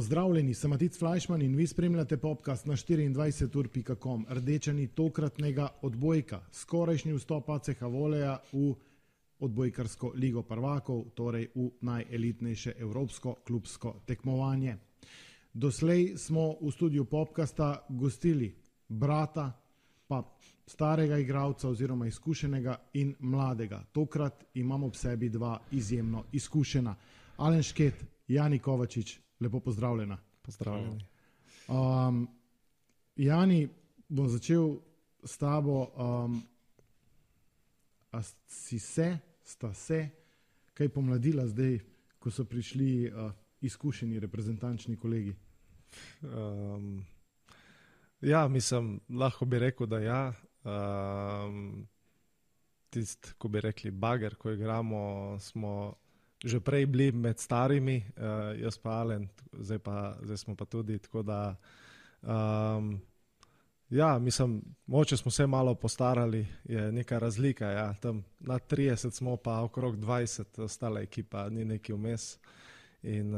Pozdravljeni, sem Matic Flajšman in vi spremljate podcast na 24ur.com. Rdečani tokratnega odbojka, skorajšnji vstop ACH Voleja v odbojkarsko ligo prvakov, torej v najelitnejše evropsko klubsko tekmovanje. Doslej smo v studiu podcasta gostili brata, pa starega igralca oziroma izkušenega in mladega. Tokrat imamo ob sebi dva izjemno izkušena. Alen Šket, Jani Kovačič, lepo pozdravljena. Pozdravljeni. Jani, bom začel s tabo. Sta se kaj pomladila zdaj, ko so prišli izkušeni reprezentančni kolegi? Ja, mislim, lahko bi rekel, da ja. Tist, ko bi rekli bager, ko igramo, smo že prej bili med starimi, jaz pa Alen, zdaj smo pa tudi, tako da ja, mislim, moče smo se malo postarali, je neka razlika, ja, tam na 30 smo pa okrog 20, ostala ekipa ni neki vmes in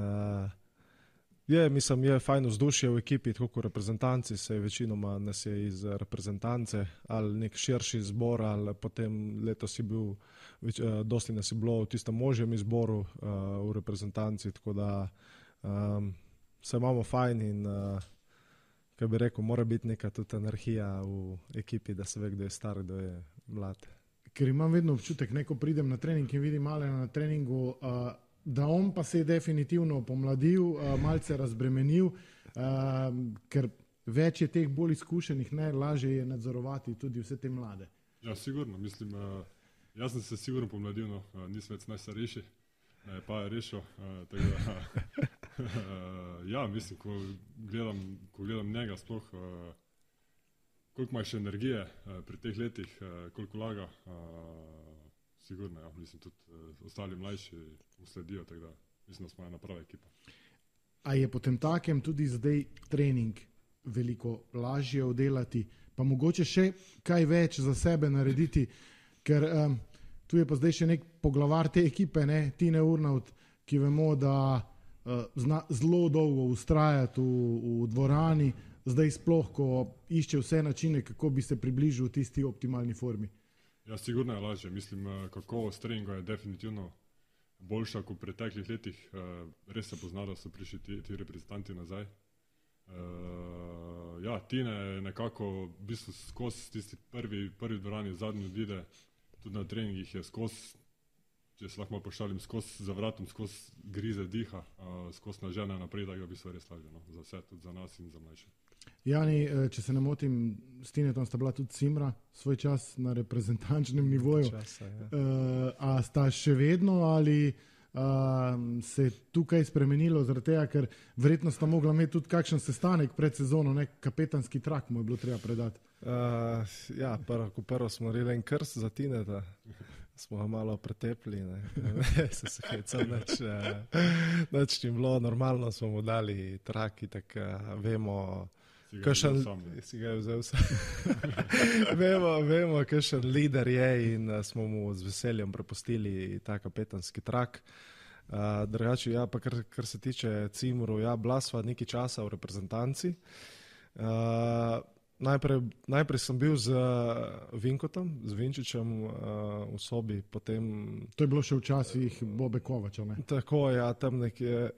mislim, je fajn vzdušje v ekipi, tako kot reprezentanci, se večinoma nas je iz reprezentance, ali nek širši zbor, ali potem letos je bil, dosti nas je bilo v tistem možjem izboru v reprezentanci, tako da se imamo fajn in kaj bi rekel, mora biti neka tudi energija v ekipi, da se ve, kdo je star, kdo je mlad. Ker imam vedno občutek, ko pridem na trening in vidim Alena na treningu, da on pa se je definitivno pomladil, malce razbremenil, ker več je teh bolj izkušenih, lažje je nadzorovati tudi vse te mlade. Ja, sigurno, mislim, jaz sem se sigurno pomladil, no, nisem več najstarejši, pa je rešil, tako da, ja, mislim, ko gledam njega sploh, koliko ima še energije pri teh letih, koliko laga, sigurno, ja, mislim, tudi ostali mlajši usledijo, tako da mislim, da smo ena prava ekipa. A je potem takem tudi zdaj trening veliko lažje oddelati, pa mogoče še kaj več za sebe narediti, ker tu je pa zdaj še nek poglavar te ekipe, Tine Urnaut, ki vemo, da zna zelo dolgo vztrajati v dvorani, zdaj sploh, ko išče vse načine, kako bi se približil tisti optimalni formi. Ja, sigurno je lažje. Mislim, kakovost treninga je definitivno boljša kot v preteklih letih. Res se pozna, da so prišli ti reprezentanti nazaj. Ja, Tine je nekako v bistvu skozi tisti prvi dvorani, zadnji odide, tudi na treningih je skozi, če se lahko pošalim, skozi za vratom, skozi grize diha, skozi nažene naprej, da je v bistvu res lažje, no, za vse, tudi za nas in za mlajše. Jani, če se ne motim, s Tinetom sta bila tudi Cimra svoj čas na reprezentančnem nivoju. A sta še vedno ali se je tukaj spremenilo zaradi tega, ker verjetno sta mogla imeti tudi kakšen sestanek pred sezono, kapetanski trak mu je bilo treba predati. Ja, prvo smo naredili en krst za Tineta, smo ga malo pretepli, se hecam, nič ni bilo, normalno smo mu dali trak, tako vemo, si ga je vzel sam. Vemo, kakšen lider je in smo mu z veseljem prepustili ta kapetanski trak. Drugače, ja, pa kar se tiče Cimru, ja, bila sva nekaj časa v reprezentanci. Najprej sem bil z Vinkotom, z Vinčičem v sobi, potem... To je bilo še včasih Bobe Kovača, ne? Tako, ja, tam nekje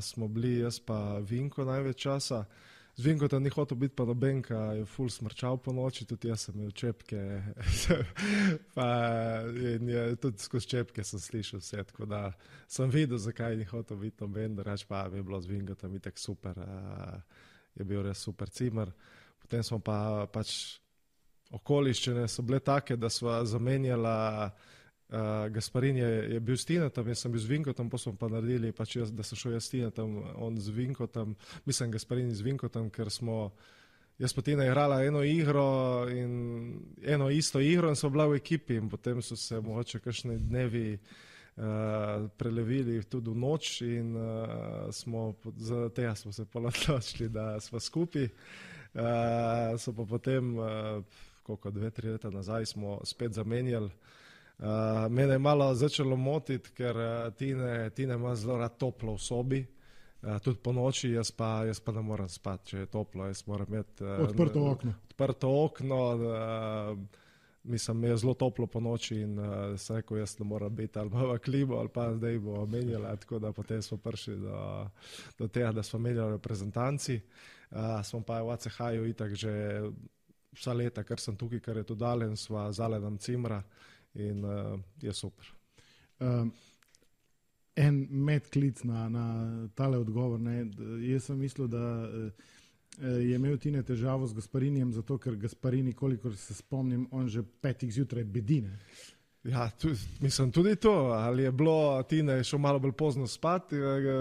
smo bili, jaz pa Vinko največ časa. Z Vinkotom ni hotel biti pa nobenka, je ful smrčal po noči, tudi jaz sem imel čepke, pa tudi skozi čepke sem slišal vse, tako da sem videl, zakaj ni hotel biti noben, drugače pa je bilo z Vinkotom itak super, je bil res super Cimer. Potem smo pa pač okoliščine so bile take, da sva zamenjala, Gasparin je bil s Tinetom, jaz sem bil z Vinkotom, pa smo pa naredili, pač da sem šel jaz s Tinetom, on z Vinkotom, mislim Gasparin z Vinkotom, ker jaz pa Tina igrala eno isto igro in smo bila v ekipi in potem so se mogoče kakšni dnevi prelevili tudi v noč in za tega smo se pa odločili, da smo skupaj. So pa potem, koliko 2-3 leta nazaj smo spet zamenjali. Mene je malo začelo motiti, ker Tine ima zelo rad toplo v sobi Tudi po noči, jaz pa ne morem spati, če je toplo, jaz moram imeti Odprto okno. Odprto okno, mislim, mi je zelo toplo po noči in sem rekel, jaz ne moram biti ali v klimo ali pa zdaj bo menjala, tako da potem smo prišli do tega, da smo menjali reprezentanci. Smo pa v ACH-ju itak že vsa leta, ker sem tukaj, ker je to dalen, sva z Alenom Cimra in je super. En medklic na tale odgovor. Ne. Jaz sem mislil, da je imel Tine težavo z Gasparinijem, zato ker Gasparini, kolikor se spomnim, on že 5 zjutraj bedine. Ja, mislim tudi to, ali je bilo Tine šel malo bolj pozno spati,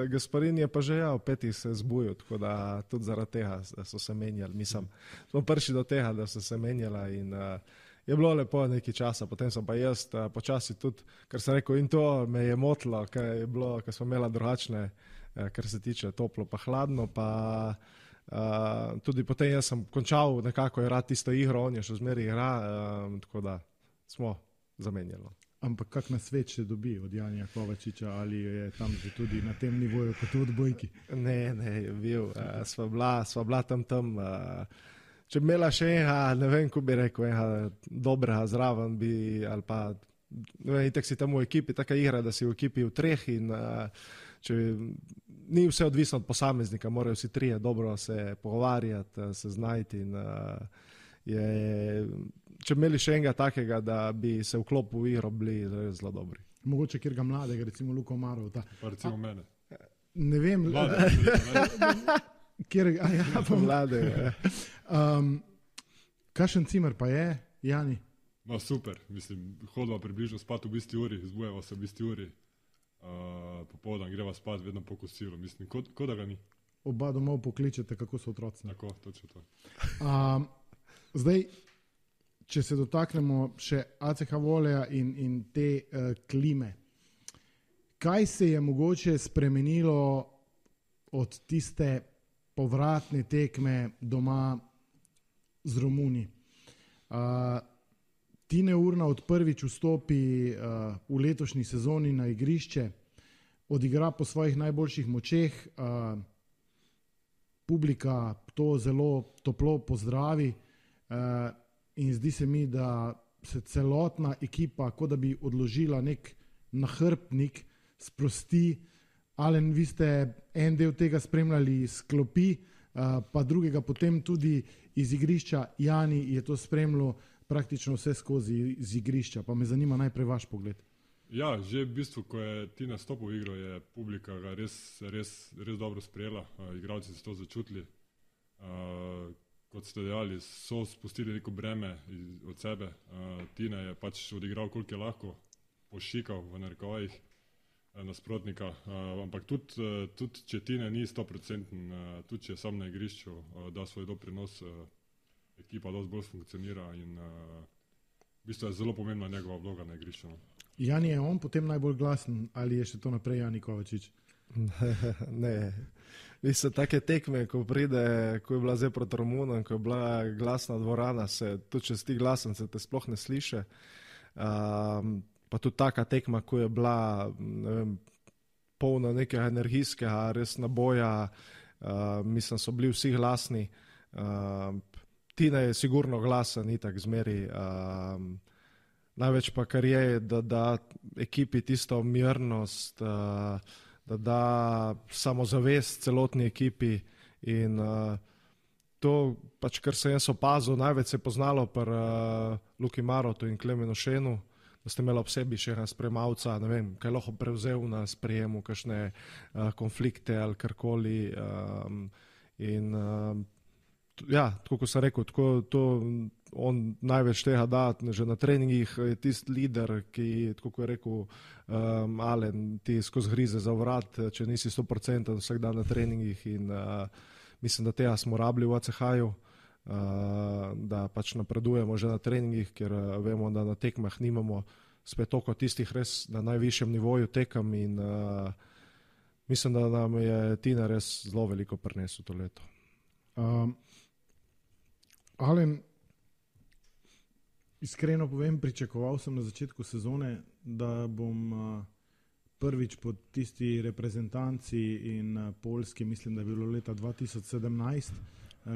Gasparini je pa že v 5 se zbudil, tako da tudi zaradi tega so se menjali. Mislim, smo prišli do tega, da so se menjala in je bilo lepo nekaj časa, potem sem pa jaz počasi tudi, ker sem rekel in to me je motilo, ker smo imeli drugačne, kar se tiče toplo pa hladno, pa tudi potem jaz sem končal nekako igrati tisto igro, on je še zmeraj igra, tako da smo zamenjali. Ampak kak nasvet še dobi od Janija Kovačiča, ali je tam že tudi na tem nivoju kot v odbojki? Ne, je bil, sva bila tam, če bi imela še enega, ne vem, ko bi rekel, enega dobrega zraven bi, ali pa, ne vem, itak si tam v ekipi, taka igra, da si v ekipi v 3 in če ni vse odvisno od posameznika, morajo vsi 3 dobro se pogovarjati, se znajti in če bi imeli še enega takega, da bi se vklopil v igro, bili zelo dobri. Mogoče kjerga mladega, recimo Luko Marov. Pa recimo mene. Ne vem. Mlade. Kakšen Cimer pa je, Jani? No, super, mislim, hodva približno spati v isti uri, zbujeva se v isti uri, popoldan greva spati vedno po kosilu, mislim, ko da ga ni. Oba domov pokličete, kako so otroci. Tako, točno to. Zdaj, če se dotaknemo še ACH Voleja in te klime, kaj se je mogoče spremenilo od tiste povratne tekme doma z Romuni? Tine Urna od prvič vstopi v letošnji sezoni na igrišče, odigra po svojih najboljših močeh, publika to zelo toplo pozdravi in zdi se mi, da se celotna ekipa, kot da bi odložila nek nahrbtnik, sprosti. Alen, vi ste en del tega spremljali iz klopi, pa drugega potem tudi iz igrišča. Jani je to spremljal praktično vse skozi iz igrišča, pa me zanima najprej vaš pogled. Ja, že v bistvu, ko je Tina stopil v igro, je publika ga res dobro sprejela, igralci so to začutili. Kot ste dejali, so spustili neko breme od sebe. Tina je pač odigral, koliko je lahko, pošikal v narekovajih nasprotnika, ampak tudi če Tina ni 100%, tudi če je sam na igrišču, da svoj doprinos, ekipa dosti bolj funkcionira in v bistvu je zelo pomembna njegova vloga na igrišču. Jani, je on potem najbolj glasen ali je še to naprej Jani Kovačič? Ne, mislim, take tekme, ko pride, ko je bila zdaj proti Romunom, ko je bila glasna dvorana, tudi če si ti glasen, se te sploh ne sliše. Pa tudi taka tekma, ko je bila, ne vem, polna nekega energijskega, res naboja, mislim, so bili vsi glasni. Tina je sigurno glasen, itak zmeri. Največ pa kar je, da da ekipi tisto mirnost, da da samozavest celotni ekipi in to, pač kar sem jaz opazil, največ se je poznalo pri Luki Marotu in Klemenu Šenu, da ste imeli ob sebi še ena spremavca, ne vem, kaj lahko prevzel na sprejemu, kakšne konflikte ali karkoli in ja, tako kot sem rekel, to on največ tega da, že na treningih je tisti lider, ki, tako kot je rekel Alen, ti skozi grize za vrat, če nisi 100% vsak dan na treningih in mislim, da tega smo rabili v ACH-ju, da pač napredujemo že na treningih, ker vemo, da na tekmah nimamo spet toliko tistih res na najvišjem nivoju tekem in mislim, da nam je Tina res zelo veliko prinesel to leto. Alen, iskreno povem, pričakoval sem na začetku sezone, da bom prvič pod tisti reprezentanci in Poljski, mislim, da je bilo leta 2017,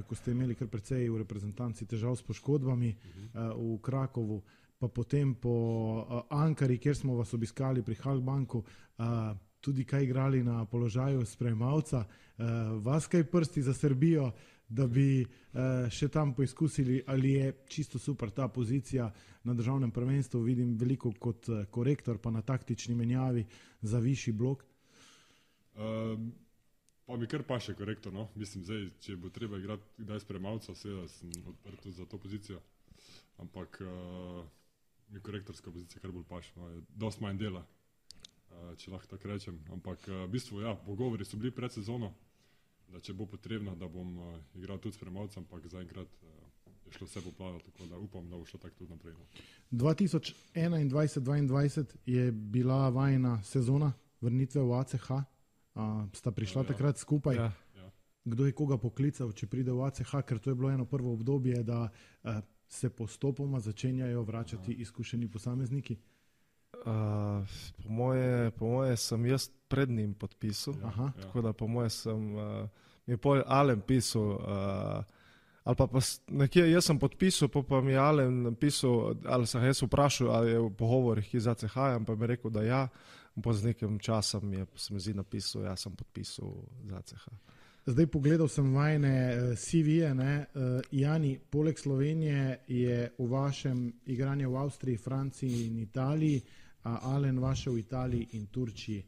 ko ste imeli kar precej v reprezentanci težav s poškodbami v Krakovu, pa potem po Ankari, kjer smo vas obiskali pri Halkbanku, tudi kaj igrali na položaju sprejemavca. Vas kaj prsti za Srbijo, da bi še tam poizkusili, ali je čisto super ta pozicija na državnem prvenstvu, vidim veliko kot korektor, pa na taktični menjavi za višji blok? Pa mi kar paše korektor, no. Mislim, zdaj, če bo treba igrati kdaj sprejemavca, seveda sem odprt za to pozicijo, ampak mi korektorska pozicija kar bolj paše, no. Je dost manj dela, če lahko tako rečem, ampak v bistvu, ja, pogovori so bili pred sezono, da če bo potrebno, da bom igral tudi sprejemavca, ampak zaenkrat je šlo vse po planu, tako da upam, da bo šlo tako tudi naprej. 2021-2022 je bila vajina sezona vrnitve v ACH, sta prišla takrat skupaj. Ja. Kdo je koga poklical, če pride v ACH, ker to je bilo eno prvo obdobje, da se postopoma začenjajo vračati izkušeni posamezniki? Po moje sem jaz pred njim podpisal, tako da po moje sem, mi je Alen pisal, ali pa nekje jaz sem podpisal, pa mi je Alen pisal, ali sem jaz vprašal, ali je v pogovorih iz ACH-ja, pa mi je rekel, da ja, po z nekim časom se mi zdi napisal, ja sem podpisal za ACH. Zdaj pogledal sem vajne CV-je, Jani, poleg Slovenije je v vašem igranju v Avstriji, Franciji in Italiji, Alen vaše v Italiji in Turčiji.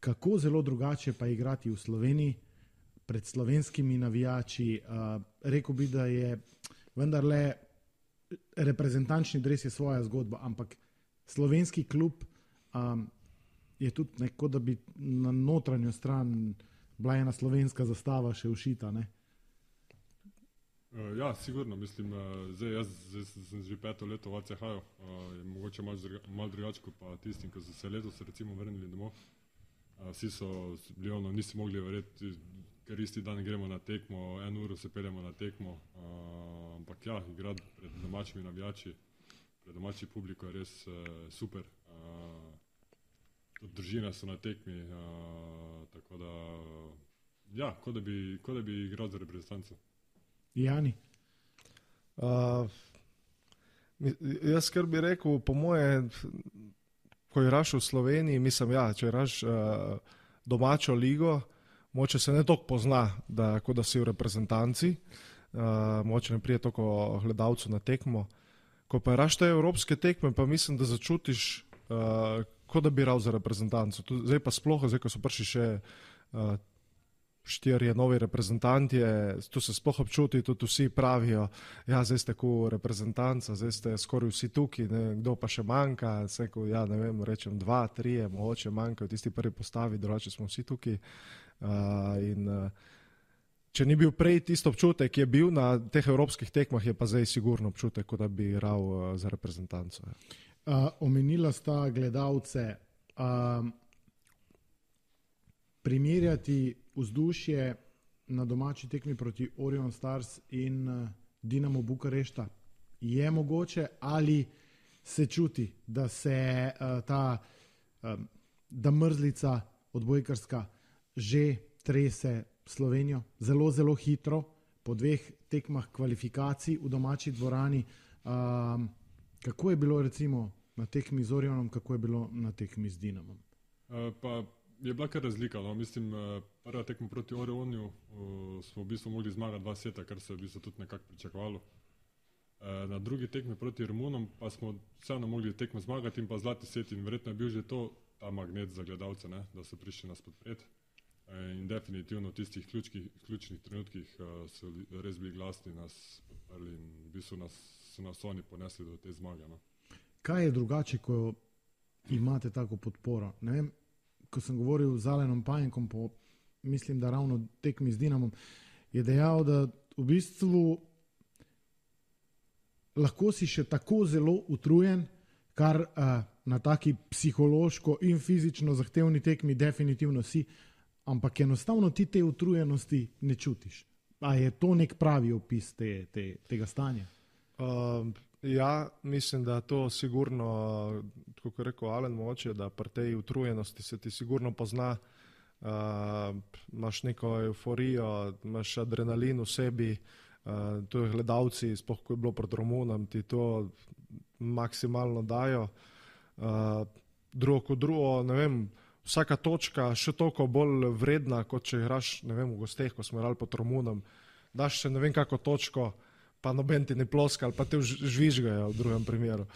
Kako zelo drugače pa igrati v Sloveniji pred slovenskimi navijači? Rekel bi, da je vendarle reprezentančni dres je svoja zgodba, ampak slovenski klub je tudi neko, da bi na notranjo stran bila ena slovenska zastava še ušita, ne? Ja, sigurno, mislim, zdaj sem že 5. leto v ACH-ju, je mogoče malo drugače kot pa tistim, ko so se letos recimo vrnili domov. Vsi so bili nisi mogli verjeti, ker isti dan gremo na tekmo, 1 uro se peljemo na tekmo, ampak ja, igrati pred domačimi navijači, pred domači publiko je res super. Tudi družine so na tekmi, tako da, ja, kot da bi igral za reprezentanco. Jani? Jaz kar bi rekel, po moje, ko igraš v Sloveniji, mislim, ja, če igraš domačo ligo, moče se ne toliko pozna, kot da si v reprezentanci, moče ne prije toliko gledalcev na tekmo. Ko pa igraš te evropske tekme, pa mislim, da začutiš, kot da bi igral za reprezentanco. Zdaj pa sploh, zdaj ko so prišli še 4 novi reprezentanti, tu se sploh občuti, tudi vsi pravijo, ja, zdaj ste kot reprezentanca, zdaj ste skoraj vsi tukaj, ne, kdo pa še manjka, ja, ne vem, rečem 2, 3, mogoče manjkajo tisti prvi postavi, drugače smo vsi tukaj. Če ni bil prej tisto občutek, ki je bil na teh evropskih tekmah, je pa zdaj sigurno občutek, kot da bi igral za reprezentanco. Omenila sta gledalce. Primerjati vzdušje na domači tekmi proti Orion Stars in Dinamo Bukarešta je mogoče, ali se čuti, da se da mrzlica odbojkarska že trese Slovenijo zelo, zelo hitro po 2 tekmah kvalifikacij v domači dvorani. Kako je bilo recimo na tekmi z Orionom, kako je bilo na tekmi z Dinamom? Pa je bila kar razlika, no. Mislim, prva tekma proti Orioniju smo v bistvu mogli zmagati 2 seta, kar se je v bistvu tudi nekako pričakovalo. Na drugi tekmi proti Romunom pa smo vseeno mogli tekmo zmagati in pa zlati set in verjetno je bil že to ta magnet za gledalce, ne, da so prišli nas podpreti. In definitivno v tistih ključnih trenutkih so res bili glasni, nas podprli in v bistvu so nas oni ponesli do te zmage. No. Kaj je drugače, ko imate tako podporo? Ne vem, ko sem govoril z Alenom Pajenkom, mislim, da ravno tekmi z Dinamom, je dejal, da v bistvu lahko si še tako zelo utrujen, kar na taki psihološko in fizično zahtevni tekmi definitivno si, ampak enostavno ti te utrujenosti ne čutiš. A je to nek pravi opis tega stanja? Ja, mislim, da to sigurno, kot je rekel Alen moče, da pri tej utrujenosti se ti sigurno pozna, imaš neko euforijo, imaš adrenalin v sebi, to je gledalci, sploh ko je bilo pred Romunom, ti to maksimalno dajo. Drugo kot drugo, ne vem, vsaka točka še toliko bolj vredna, kot če igraš, ne vem, v gosteh, ko smo igrali pod Romunom, daš še ne vem kako točko, pa noben ti ne ploska, ali pa te žvižgajo v drugem primeru.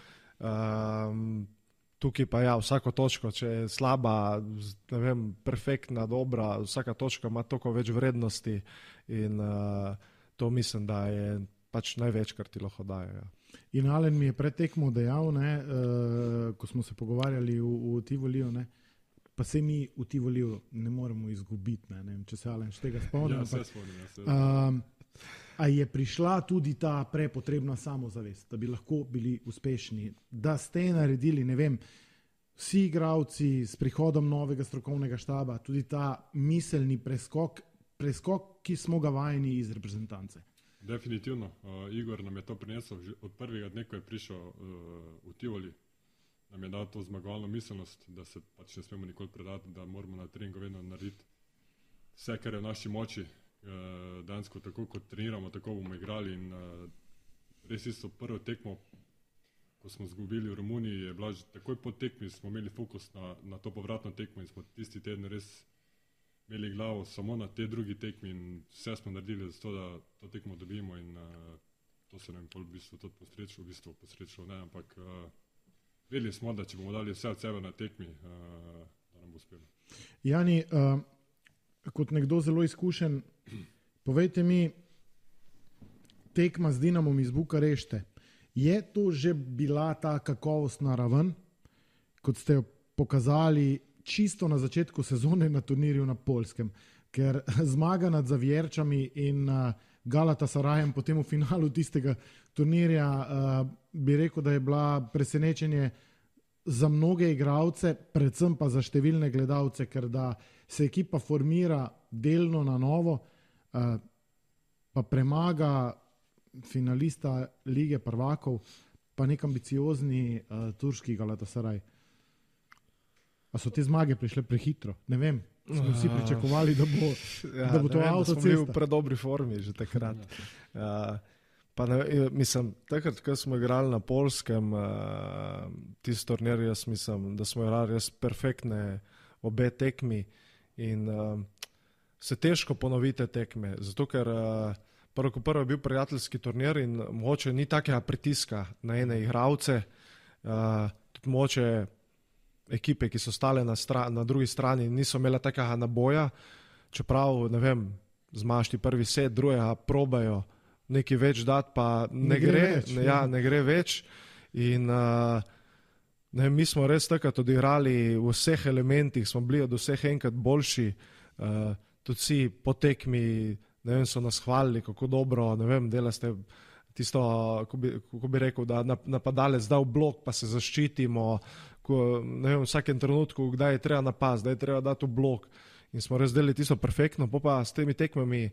Tukaj pa ja, vsako točko, če je slaba, ne vem, perfektna, dobra, vsaka točka ima toliko več vrednosti in to mislim, da je pač največ, kar ti lahko daje. Ja. In Alen mi je pred tekmo dejal, ko smo se pogovarjali v Tivoliju, pa se mi v Tivoliju ne moremo izgubiti, ne vem, če se Alen še tega spomnim. Ja, se spomnim. A je prišla tudi ta prepotrebna samozavest, da bi lahko bili uspešni, da ste naredili, ne vem, vsi igralci s prihodom novega strokovnega štaba, tudi ta miselni preskok, ki smo ga vajeni iz reprezentance? Definitivno. Igor nam je to prinesel od prvega dne, ko je prišel v Tivoli. Nam je dal to zmagovalno miselnost, da se pač ne smemo nikoli predati, da moramo na treningu vedno narediti vse, kar je v naši moči. Dansko tako kot treniramo, tako bomo igrali in res isto prvo tekmo, ko smo izgubili v Romuniji, je bila že takoj po tekmi, smo imeli fokus na to povratno tekmo in smo tisti teden res imeli glavo samo na te drugi tekmi in vse smo naredili za to, da to tekmo dobimo in to se nam v bistvu tudi posrečilo, ne, ampak vedeli smo, da če bomo dali vse od sebe na tekmi, da nam bo uspelo. Jani, kot nekdo zelo izkušen, povejte mi, tekma z Dinamom iz Bukarešte, je to že bila ta kakovostna raven, kot ste jo pokazali čisto na začetku sezone na turnirju na Poljskem, ker zmaga nad Zavjerčami in Galatasarajem potem v finalu tistega turnirja bi rekel, da je bila presenečenje za mnoge igralce, predvsem pa za številne gledalce, ker da se ekipa formira delno na novo, pa premaga finalista Lige prvakov, pa nek ambiciozni turški Galatasaraj. A so te zmage prišle prehitro? Ne vem, smo vsi pričakovali, da bo to avtocesta. Smo bili v predobri formi že takrat. Pa ne, mislim, takrat, ko smo igrali na Poljskem, tisti turnir, jaz mislim, da smo igrali res perfektne obe tekmi in se težko ponovite tekme, zato ker prvo je bil prijateljski turnir in mogoče ni takega pritiska na ene igralce, tudi mogoče ekipe, ki so stale na drugi strani, niso imele takega naboja, čeprav, ne vem, zmaš ti prvi set, drugega probajo nekaj več dati, pa ne gre več. In mi smo res takrat odigrali v vseh elementih, smo bili od vseh enkrat boljši, tudi vsi po tekmi, ne vem, so nas hvalili, kako dobro, ne vem, dela ste tisto, kako bi rekel, da napadalec da v blok, pa se zaščitimo, ne vem, v vsakem trenutku, kdaj je treba napast, kdaj je treba dati v blok. In smo raz delali tisto perfektno, pa s temi tekmami,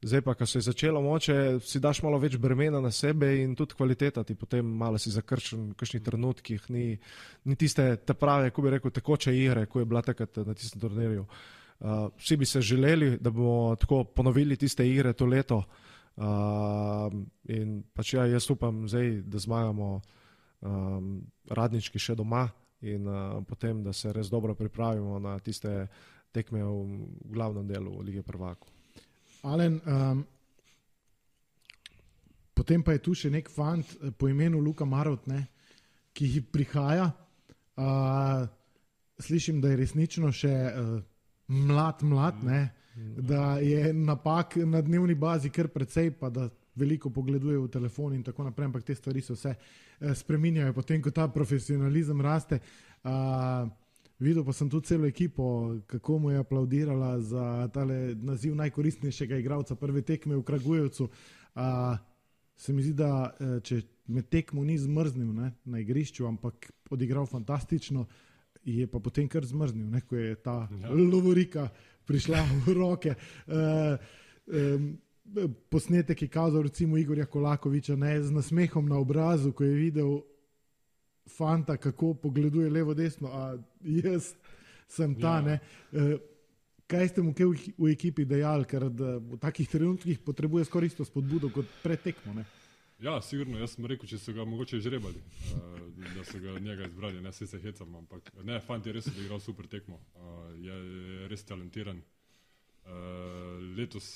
zdaj pa, ko se je začelo moče, si daš malo več bremena na sebe in tudi kvaliteta ti potem malo si zakršen v kakšnih trenutkih, ni tiste te prave, ko bi rekel, tekoče igre, ko je bila takrat na tistem turnirju. Vsi bi se želeli, da bomo tako ponovili tiste igre to leto in pač jaz upam zdaj, da zmagamo Radnički še doma in potem, da se res dobro pripravimo na tiste tekme v glavnem delu Lige prvakov. Alen, potem pa je tu še nek fant po imenu Luka Marot, ki prihaja. Slišim, da je resnično še mlad, da je napak na dnevni bazi kar precej, pa da veliko pogleduje v telefon in tako naprej, ampak te stvari se vse spreminjajo potem, ko ta profesionalizem raste. Videl pa sem tudi celo ekipo, kako mu je aplaudirala za tale naziv najkoristnejšega igralca prve tekme v Kragujevcu. Se mi zdi, da če med tekmo ni zmrznil na igrišču, ampak odigral fantastično, je pa potem kar zmrznil, ko je ta lovorika prišla v roke. posnetek je kazal recimo Igorja Kolakoviča, ne, z nasmehom na obrazu, ko je videl fanta, kako pogleduje levo desno, a jaz sem ta, ne. Kaj ste mu kaj v ekipi dejali, ker v takih trenutkih potrebuje skoraj isto spodbudo kot pred tekmo, ne? Ja, sigurno, jaz sem rekel, če so ga mogoče žrebali, da so ga njega izbrali, ne, se hecam, ampak ne, fant je res odigral super tekmo, je res talentiran. Letos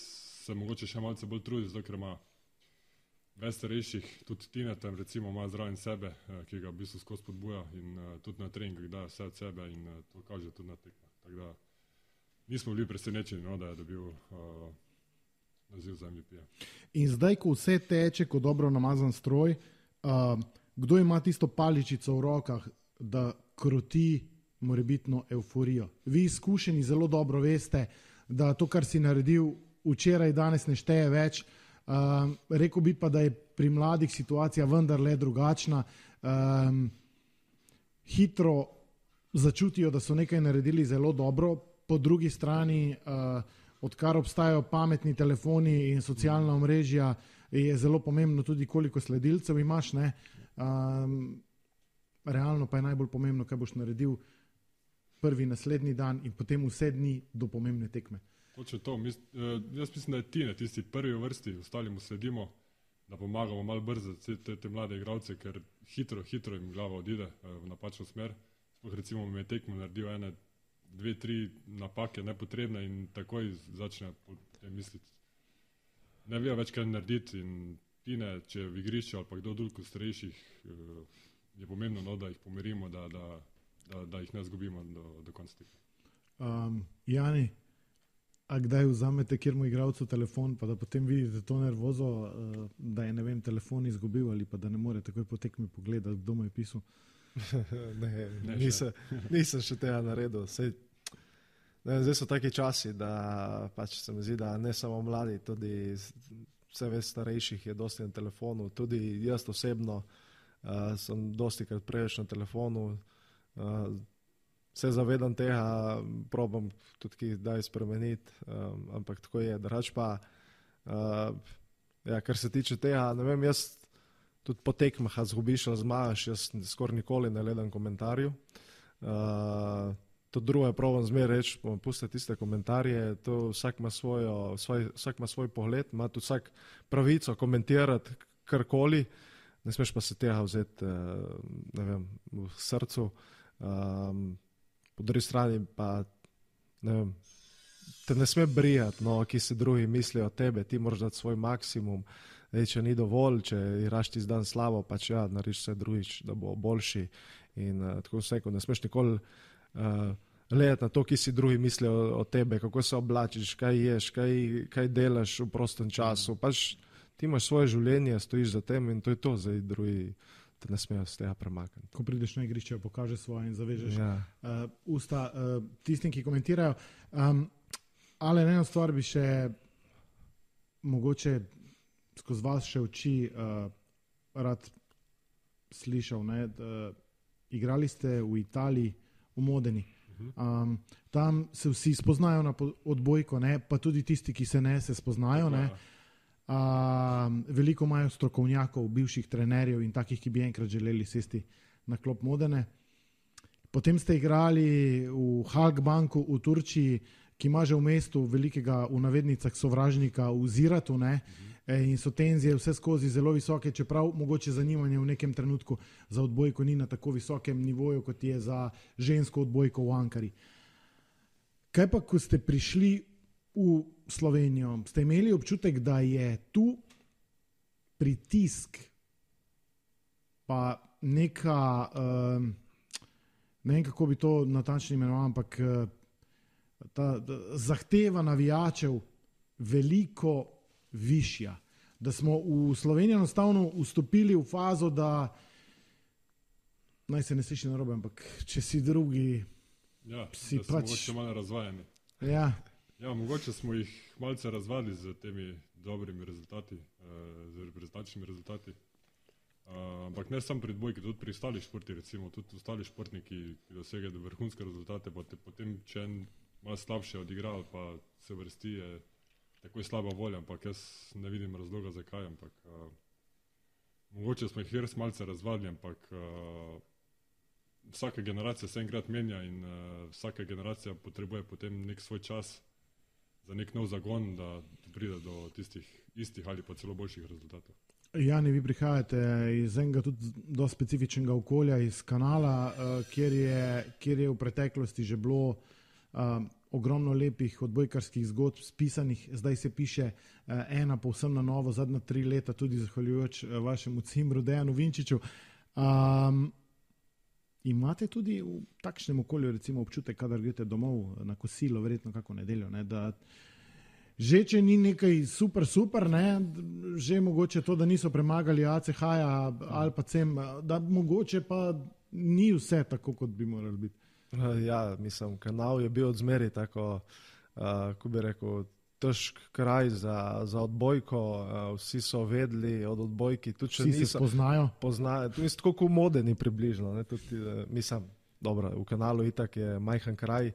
se mogoče še malce bolj trudi, zato ker ima več starejših, tudi Tina tam recimo ima zraven sebe, ki ga v bistvu skozi podbuja in tudi na treningih daje vse od sebe in to kaže tudi na tekmo. Tako da nismo bili presenečeni, no, da je dobil naziv za MVP-ja. In zdaj, ko vse teče kot dobro namazan stroj, kdo ima tisto paličico v rokah, da kroti morebitno euforijo? Vi izkušeni zelo dobro veste, da to, kar si naredil včeraj, danes ne šteje več. Rekel bi pa, da je pri mladih situacija vendarle drugačna. Hitro začutijo, da so nekaj naredili zelo dobro, po drugi strani odkar obstajajo pametni telefoni in socialna omrežja, je zelo pomembno tudi, koliko sledilcev imaš, ne. Realno pa je najbolj pomembno, kaj boš naredil prvi naslednji dan in potem vse dni do pomembne tekme. Točno to. Jaz mislim, da je Tine tisti prvi v vrsti, ostali mu sledimo, da pomagamo malo brzo te mlade igralce, ker hitro jim glava odide v napačno smer. Sploh recimo me je tekmo naredil 1, 2, 3 napake nepotrebne in takoj začne misliti. Ne vejo več kaj narediti in Tine, če v igrišču ali pa kdo drug od starejših, je pomembno, no, da jih pomirimo, da jih ne zgubimo do konca tekme. Jani, a kdaj vzamete kjermu igralcu telefon, pa da potem vidite to nervozo, da je, ne vem, telefon izgubil ali pa da ne more takoj po tekmi pogledati, kdo mu je pisal? Nisem še tega naredil. Zdaj so taki časi, da pač se mi zdi, da ne samo mladi, tudi vse več starejših je dosti na telefonu. Tudi jaz osebno sem dosti krat preveč na telefonu. Se zavedam tega, probam tudi kdaj spremeniti, ampak tako je. Drugače pa, kar se tiče tega, ne vem, jaz tudi po tekmah, a zgubiš ali zmagaš, jaz skoraj nikoli ne gledam komentarjev. To drugo je probam zmeraj reči, pusti tiste komentarje, to vsak ima svoj pogled, ima tudi vsak pravico komentirati karkoli, ne smeš pa se tega vzeti, ne vem, v srcu. Po drugi strani pa, ne vem, te ne sme brijati, no, ki se drugi mislijo o tebe, ti moraš dati svoj maksimum. Če ni dovolj, če igraš ti dan slabo, pač ja, narediš vse drugič, da bo boljši. In tako vseko, ne smeš nikoli gledati na to, ki si drugi mislijo o tebe, kako se oblačiš, kaj ješ, kaj delaš v prostem času. Pač ti imaš svoje življenje, stojiš za tem in to je to, zdaj drugi te ne smejo z tega premakniti. Ko prideš na igrišče, pokažeš svoje in zavežeš usta tistim, ki komentirajo. Ali eno stvar bi še mogoče skozi vas še oči rad slišal, ne? Igrali ste v Italiji, v Modeni. Tam se vsi spoznajo na odbojko, ne? Pa tudi tisti, ki se ne, se spoznajo. Ne? Veliko imajo strokovnjakov, bivših trenerjev in takih, ki bi enkrat želeli sesti na klop Modene. Potem ste igrali v Halkbanku v Turčiji, ki ima že v mestu velikega, v navednicah, sovražnika v Ziratu, ne? In so tenzije vse skozi zelo visoke, čeprav mogoče zanimanje v nekem trenutku za odbojko ni na tako visokem nivoju, kot je za žensko odbojko v Ankari. Kaj pa, ko ste prišli v Slovenijo, ste imeli občutek, da je tu pritisk pa neka, ne vem, kako bi to natančno imenoval, ampak ta zahteva navijačev veliko višja. Da smo v Sloveniji enostavno vstopili v fazo, da naj se ne sliši narobe, ampak če si drugi, si da pač... mogoče malo razvajeni. Ja, mogoče smo jih malce razvadili z temi dobrimi rezultati, z reprezentančnimi rezultati. Ampak ne samo pri odbojki, tudi pri ostalih športih, recimo, tudi ostali športniki, ki dosegajo vrhunske rezultate, pa potem, če en malo slabše odigra ali pa se vrsti, je tako slaba volja, ampak jaz ne vidim razloga, zakaj. Ampak, mogoče smo jih res malce razvadili, ampak vsaka generacija se enkrat menja in vsaka generacija potrebuje potem nek svoj čas za nek nov zagon, da pride do tistih istih ali pa celo boljših rezultatov. Jani, vi prihajate iz enega tudi do specifičnega okolja, iz Kanala, kjer je v preteklosti že bilo ogromno lepih odbojkarskih zgodb spisanih, zdaj se piše ena povsem na novo, zadnja 3 leta, tudi zahvaljujoč vašemu cimbru Dejanu Vinčiču. Imate tudi v takšnem okolju recimo občutek, kadar greste domov na kosilo, verjetno kako nedeljo, ne, da že če ni nekaj super, ne, že mogoče to, da niso premagali ACH-ja ali pa CEM, da mogoče pa ni vse tako, kot bi morali biti. Ja, mislim, Kanal je bil odzmeri tako, ko bi rekel, težk kraj za odbojko, vsi so vedeli od odbojki. Vsi se spoznajo? To je tako kot Modeni približno. Ne, tudi, mislim, dobro, v Kanalu itak je majhen kraj.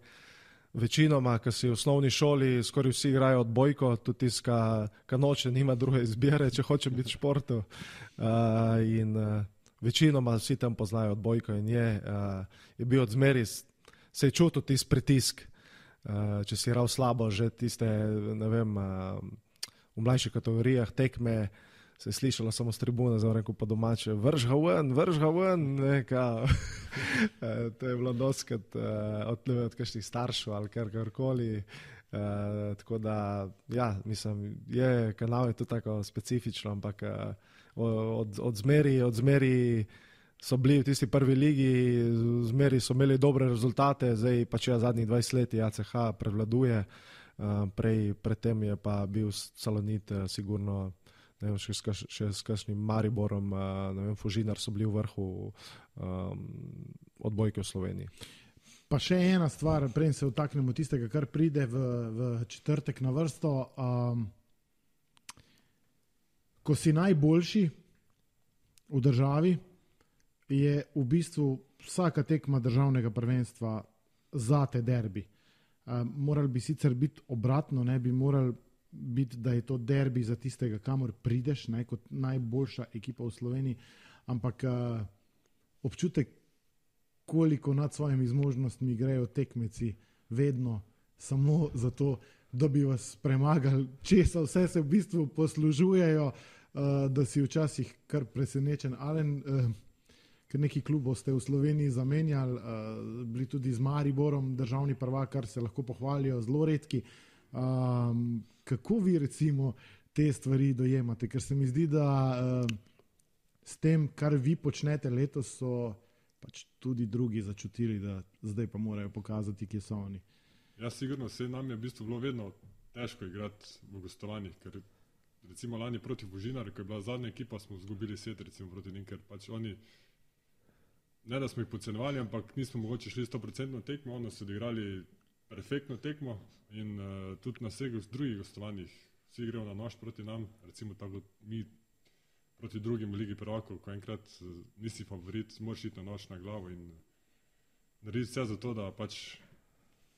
Večinoma, ki si v osnovni šoli, skoraj vsi igrajo odbojko, tudi tiska, ki noče, nima druge izbire, če hoče biti v športu. Večinoma vsi tam poznajo odbojko in je bil odzmeri, se je čutil tisti pritisk, če si igral slabo, že tiste, ne vem, v mlajših kategorijah tekme, se je slišalo samo s tribune, za rekel po domače, vrž ga ven, neka. To je bilo doskrat od kakšnih staršev ali karkoli. Tako da, ja, mislim, Kanal je tudi tako specifično, ampak od zmeri so bili v tisti prvi ligi, zmeri so imeli dobre rezultate, zdaj pa če zadnjih 20 let ACH prevladuje, predtem je pa bil Salonit sigurno, ne vem, še s kakšnim Mariborom, ne vem, Fužinar so bili v vrhu odbojke v Sloveniji. Pa še ena stvar, prej se vtaknemo tistega, kar pride v četrtek na vrsto. Ko si najboljši v državi, je v bistvu vsaka tekma državnega prvenstva zate derbi. Morali bi sicer biti obratno, ne bi morali biti, da je to derbi za tistega, kamor prideš, ne, kot najboljša ekipa v Sloveniji, ampak občutek, koliko nad svojimi zmožnostmi grejo tekmeci vedno samo zato, da bi vas premagali, česa vse se v bistvu poslužujejo, da si včasih kar presenečen. Alen, ker neki klubov ste v Sloveniji zamenjali, bili tudi z Mariborom državni prvak, kar se lahko pohvalijo, zelo redki. Kako vi recimo te stvari dojemate? Ker se mi zdi, da s tem, kar vi počnete letos, so pač tudi drugi začutili, da zdaj pa morajo pokazati, kje so oni. Ja, sigurno, vse nam je v bistvu bilo vedno težko igrati v gostovanjih, ker recimo lani proti Fužinarju, ko je bila zadnja ekipa, smo izgubili set recimo proti njim, ker pač oni, ne da smo jih podcenjevali, ampak nismo mogoče šli 100% tekmo, oni so odigrali perfektno tekmo in tudi na vseh drugih gostovanjih vsi grejo na nož proti nam, recimo tako mi proti drugim v Ligi prvakov, ko enkrat nisi favorit, moraš iti na nož na glavo in narediti vse za to, da pač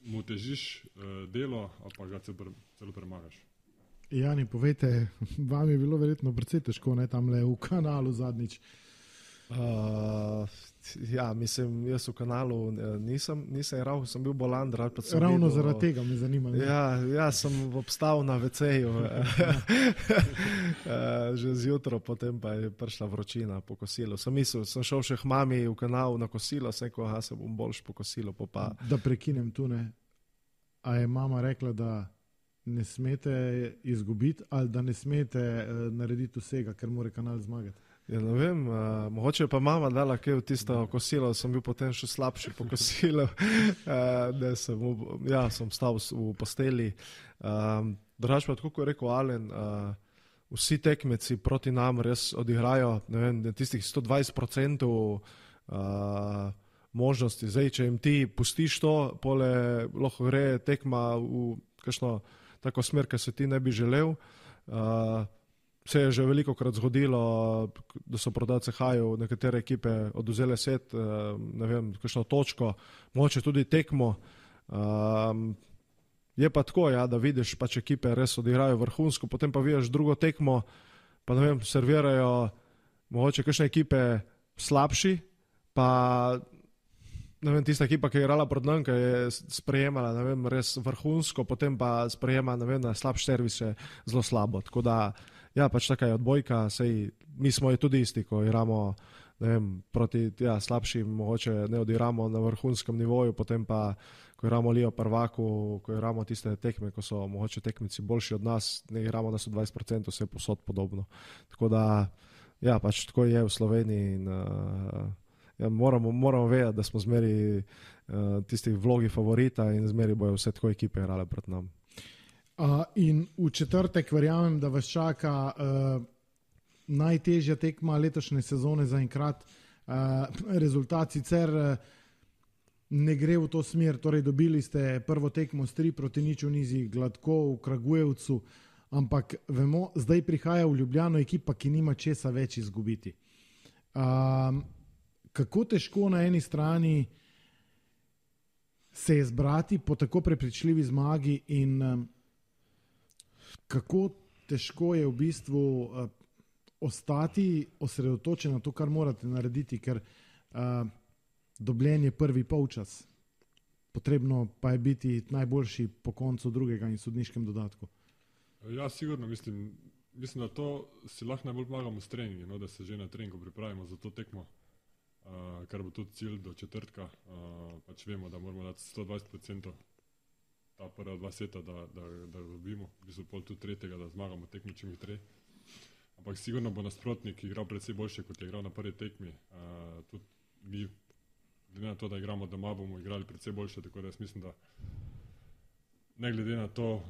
mu težiš delo, ali pa ga celo premagaš. Jani, povejte, vam je bilo verjetno precej težko, ne, tamle v Kanalu zadnjič. Ja, mislim, jaz v Kanalu nisem igral, sem bil bolan. Ravno zaradi tega me zanima. Ja, sem obstal na WC-ju že zjutraj, potem pa je prišla vročina po kosilu. Sem šel še k mami v Kanal na kosilo, sem rekel, se bom boljš po kosilu. Da prekinem tu, ne. A je mama rekla, da ne smete izgubiti ali da ne smete narediti vsega, ker mora Kanal zmagati? Ja, ne vem, mogoče je pa mama dala kaj v tisto kosilo, sem bil potem še slabši po kosilu, sem stal v posteli. Drugače pa, tako kot je rekel Alen, vsi tekmeci proti nam res odigrajo, ne vem, tistih 120% možnosti. Zdaj, če jim ti pustiš to, pole lahko gre tekma v kakšno tako smer, ki se ti ne bi želel. Se je že velikokrat zgodilo, da so proti ACH-ju nekatere ekipe odvzele set, ne vem, kakšno točko, mogoče tudi tekmo. Je pa tako, ja, da vidiš, pač ekipe res odigrajo vrhunsko, potem pa vidiš drugo tekmo, pa ne vem, servirajo mogoče kakšne ekipe slabši, pa ne vem, tista ekipa, ki je igrala pred nam, ki je sprejemala, ne vem, res vrhunsko, potem pa sprejema, ne vem, na slab servis je zelo slabo. Tako da, ja, pač taka je odbojka, sej mi smo je tudi isti, ko igramo, ne vem, proti slabšim, mogoče ne odigramo na vrhunskem nivoju, potem pa, ko igramo Ligo prvaku, ko igramo tiste tekme, ko so mogoče tekmici boljši od nas, ne igramo na 120%, vse posod podobno. Tako da, ja, pač tako je v Sloveniji in ja, moramo vedeti, da smo zmeri tisti vlogi favorita in zmeri bojo vse tako ekipe igrale pred nam. In v četrtek verjamem, da vas čaka najtežja tekma letošnje sezone zaenkrat. Rezultat sicer ne gre v to smer, torej dobili ste prvo tekmo s 3-0 v Nizi, gladko v Kragujevcu, ampak vemo, zdaj prihaja v Ljubljano ekipa, ki nima česa več izgubiti. Kako težko na eni strani se je zbrati po tako prepričljivi zmagi in kako težko je v bistvu ostati osredotočen na to, kar morate narediti, ker dobljen je prvi polčas. Potrebno pa je biti najboljši po koncu drugega in sodniškem dodatku. Ja, sigurno, mislim, da to si lahko najbolj pomagamo s treningi, no, da se že na treningu pripravimo za to tekmo, kar bo tudi cilj do četrtka. Pač vemo, da moramo dati 120% ta prva dva seta, da dobimo, v bistvu pol tudi tretjega, da zmagamo tekmo čim hitreje. Ampak sigurno bo nasprotnik igral predvsej boljše, kot je igral na prvi tekmi. Tudi mi, glede na to, da igramo doma, bomo igrali predvsej boljše, tako da jaz mislim, da ne glede na to,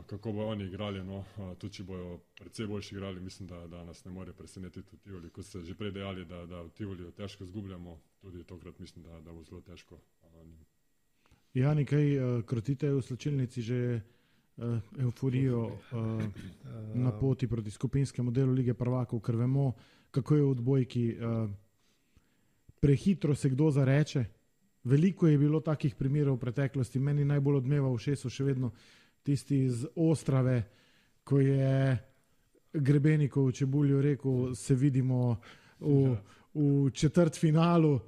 kako bojo oni igrali, no, tudi če bojo predvsej boljši igrali, mislim, da nas ne more presenetiti v Tivoli. Kot ste že prej dejali, da v Tivoliju težko izgubljamo, tudi tokrat mislim, da bo zelo težko. Jani, kaj krotite v slačilnici že euforijo na poti proti skupinskemu delu Lige prvakov, ker vemo, kako je v odbojki. Prehitro se kdo zareče. Veliko je bilo takih primerov v preteklosti. Meni najbolj odmeva v ušesu še vedno tisti iz Ostrave, ko je Grebenikov v Čebulju rekel, se vidimo v četrtfinalu,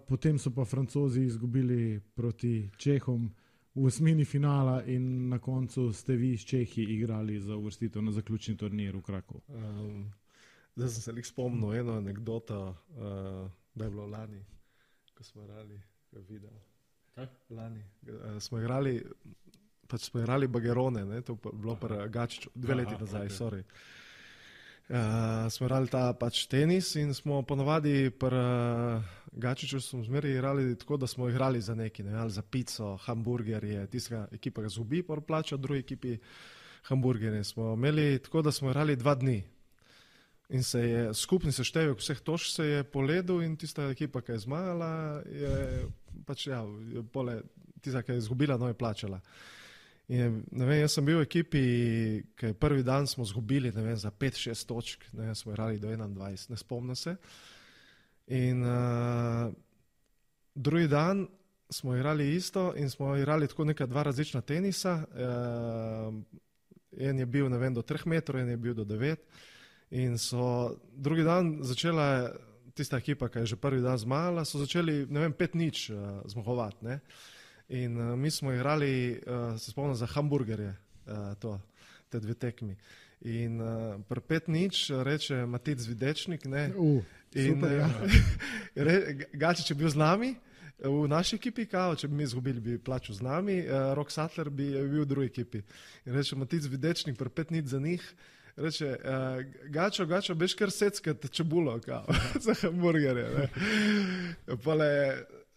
potem so pa Francozi izgubili proti Čehom v osmini finala in na koncu ste vi s Čehi igrali za uvrstitev na zaključni turnir v Krakow. Zdaj sem se spomnil eno anekdoto, da je bilo lani, ko smo igrali video. Kaj? Lani. Smo igrali Bagerone, ne? To je bilo pri Gačiču, 2 leti nazaj, okay. Sorry. Smo igrali ta pač tenis in smo ponovadi pri Gačiču smo zmeri igrali tako, da smo igrali za neki, ne, ali za pico, hamburgerje, tista ekipa ga zgubi, pa plača, drugi ekipi hamburgerje. Smo imeli tako, da smo igrali 2 dni. In se je skupni seštevek vseh točk se je poledil in tista ekipa, ki je zmagala, je pač ja, tista, ki je izgubila, no je plačala. In ne vem, jaz sem bil v ekipi, ki prvi dan smo izgubili, ne vem, za 5-6 točk, ne vem, smo igrali do 21, ne spomnim se. In drugi dan smo igrali isto in smo igrali tako neka 2 različna tenisa. En je bil, ne vem, do 3 metrov, en je bil do 9. In so drugi dan začela tista ekipa, ki je že prvi dan zmagala, so začeli, ne vem, 5-0 zmagovati, ne. In mi smo igrali, se spomnim, za hamburgerje, te 2 tekmi. In pri 5-0 reče Matic Videčnik, ne. Super, ja. Gačič je bil z nami, v naši ekipi, kao, če bi mi izgubili, bi plačal z nami, Rok Sattler bi bil v drugi ekipi. In reče Matic Videčnik pri 5-0 za njih, reče, Gačo, beš kar seckat čebulo, kao, za hamburgerje, ne. Pole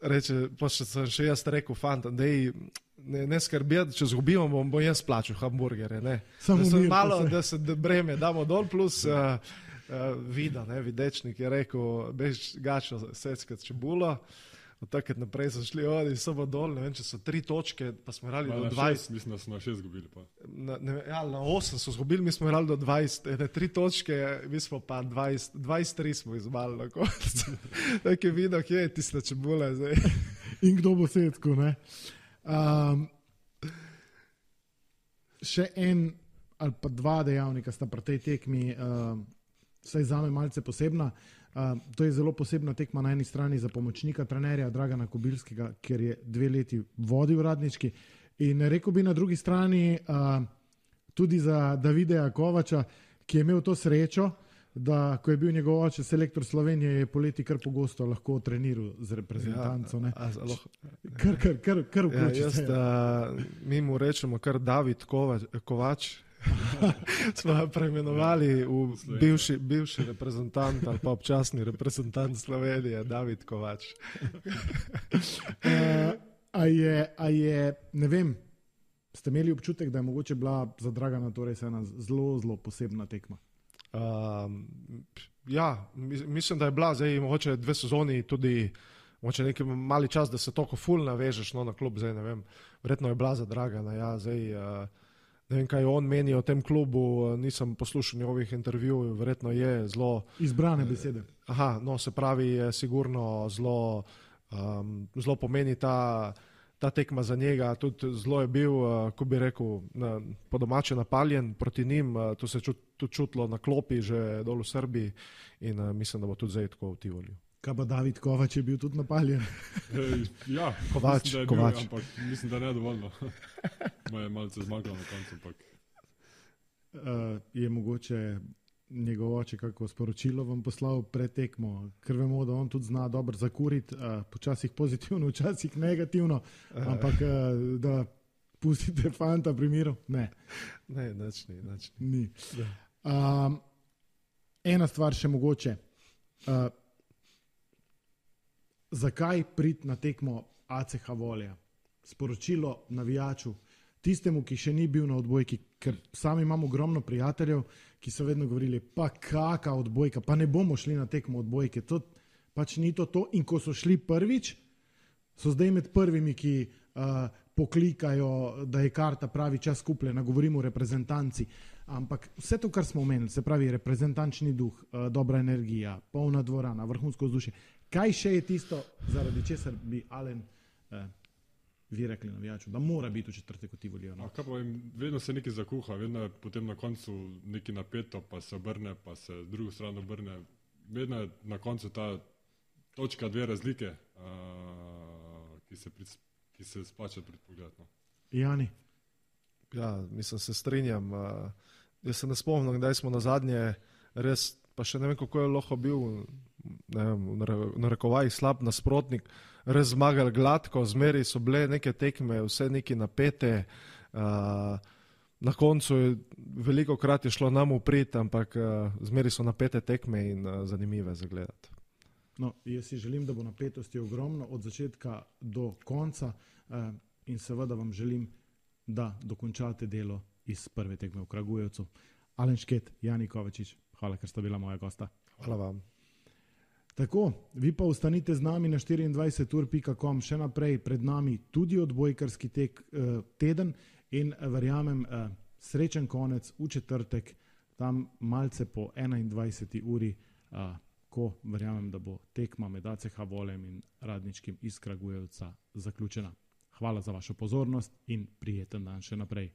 reče, pošto sem še jaz rekel, fanta, dej, ne skrbeti, če zgubimo, bom jaz plačal hamburgerje, ne. Da se breme damo dol, plus Vida, ne, Videčnik je rekel, beš Gačo seckat čebulo. Od takrat naprej so šli in so dol, ne vem, če so 3 točke, pa smo igrali do 20. Mislim, da smo na 6 zgubili. Pa. Na 8 so zgubili, mi smo igrali do 20. 3 točke, mi smo pa 23 smo izmali na koncu. Tak je videl, kje je tista čebula zdaj. In kdo bo setko, ne? še en ali pa dva dejavnika sta pri tej tekmi, vsaj zame malce posebna. To je zelo posebna tekma na eni strani za pomočnika trenerja Dragana Kobilskega, ker je 2 leti vodil Radnički. In rekel bi na drugi strani tudi za Davida Kovača, ki je imel to srečo, da ko je bil njegov oče selektor Slovenije, je poleti kar pogosto lahko treniral z reprezentanco. Kar vključi se. Mi mu rečemo kar David Kovač. Smo ga preimenovali v bivši reprezentant ali pa občasni reprezentant Slovenije, David Kovač. A je, ne vem, ste imeli občutek, da je mogoče bila za Dragana torej ena zelo, zelo posebna tekma? Ja, mislim, da je bila zdaj mogoče 2 sezoni tudi mogoče neki mali čas, da se toliko ful navežeš na klub, zdaj ne vem, verjetno je bila za Dragana, ja, zdaj ne vem, kaj on meni o tem klubu, nisem poslušal njegovih intervjujev, verjetno je zelo... Izbrane besede. Aha, no, se pravi, je sigurno zelo pomeni ta tekma za njega, tudi zelo je bil, ko bi rekel, po domače napaljen proti njim, to se je tudi čutilo na klopi že dol v Srbiji in mislim, da bo tudi zdaj tako v Tivoliju. Kaj pa David Kovač je bil tudi napaljen? Ja, Kovač. Ampak mislim, da ne dovoljno. Moje malce zmagalo na koncu. Je mogoče njegov oče kako sporočilo vam poslal pred tekmo, ker vemo, da on tudi zna dobro zakuriti, počasih pozitivno, včasih negativno, ampak da pustite fanta pri miru? Ne. Ne, ni. Ena stvar še mogoče. Zakaj priti na tekmo ACH Volja? Sporočilo navijaču, tistemu, ki še ni bil na odbojki, ker sami imamo ogromno prijateljev, ki so vedno govorili, pa kaka odbojka, pa ne bomo šli na tekmo odbojke, to pač ni to. In ko so šli prvič, so zdaj med prvimi, ki poklikajo, da je karta pravi čas kupljena, govorimo o reprezentanci. Ampak vse to, kar smo omenili, se pravi reprezentančni duh, dobra energija, polna dvorana, vrhunsko vzdušje. Kaj še je tisto, zaradi česar bi Alen vi rekli navijaču, da mora biti v četrtek v Tivoliju? No? Vedno se nekaj zakuha, vedno je potem na koncu nekaj napeto, pa se obrne, pa se drugo stran obrne. Vedno je na koncu ta točka 2 razlike, ki se splača pred pogled. No. Jani? Ja, mislim, se strinjam. Jaz se ne spomnim, kdaj smo nazadnje res, pa še ne vem, kako je lahko bil, ne vem, na rekovajih slab nasprotnik, res zmagali gladko, zmeri so bile neke tekme, vse neki napete, na koncu je veliko krat je šlo nam v prid, ampak zmeri so napete tekme in zanimive za gledati. No, jaz si želim, da bo napetosti ogromno od začetka do konca in seveda vam želim, da dokončate delo iz prve tekme v Kragujevcu. Alen Šket, Jani Kovačič, hvala, ker sta bila moja gosta. Hvala vam. Tako, vi pa ostanite z nami na 24ur.com, še naprej pred nami tudi odbojkarski teden in verjamem srečen konec v četrtek, tam malce po 21. uri, ko verjamem, da bo tekma med ACH Voljem in Radničkim iz Kragujevca zaključena. Hvala za vašo pozornost in prijeten dan še naprej.